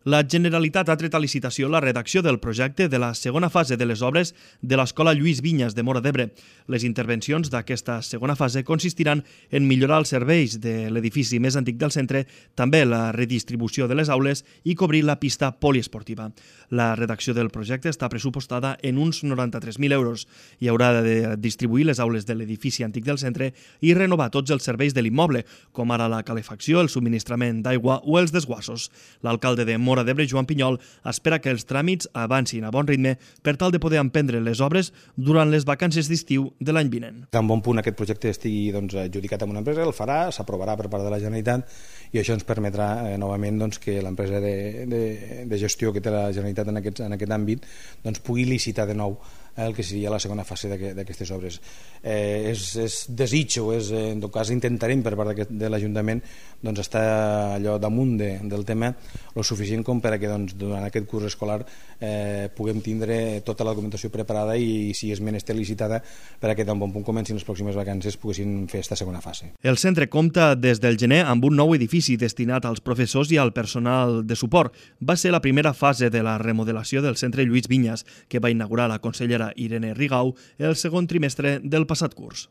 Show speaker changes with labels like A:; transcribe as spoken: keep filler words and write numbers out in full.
A: La Generalitat ha tret a licitació la redacció del projecte de la segona fase de les obres de l'Escola Lluís Vinyes de Móra d'Ebre. Les intervencions d'aquesta segona fase consistiran en millorar els serveis de l'edifici més antic del centre, també la redistribució de les aules i cobrir la pista poliesportiva. La redacció del projecte està pressupostada en uns noranta-tres mil euros. Hi haurà de distribuir les aules de l'edifici antic del centre i renovar tots els serveis de l'immoble, com ara la calefacció, el subministrament d'aigua o els desguassos. L'alcalde de Móra d'Ebre, Joan Pinyol, espera que els tràmits avancin a bon ritme per tal de poder emprendre les obres durant les vacances d'estiu de l'any vinent.
B: Tan bon punt aquest projecte estigui doncs, adjudicat amb una empresa, el farà, s'aprovarà per part de la Generalitat i això ens permetrà eh, novament doncs, que l'empresa de, de, de gestió que té la Generalitat en aquest, en aquest àmbit doncs, pugui licitar de nou el que seria la segona fase d'aquestes obres. Eh, és, és desig o és, en tot cas intentarem per part de l'Ajuntament doncs, estar allò damunt de, del tema lo suficient com per a que doncs, durant aquest curs escolar eh, puguem tindre tota la documentació preparada i si és menester licitada per a que tan bon punt comencin les pròximes vacances poguessin fer aquesta segona fase.
A: El centre compta des del gener amb un nou edifici destinat als professors i al personal de suport. Va ser la primera fase de la remodelació del centre Lluís Vinyes, que va inaugurar la consellera Irene Rigau el segon trimestre del passat curs.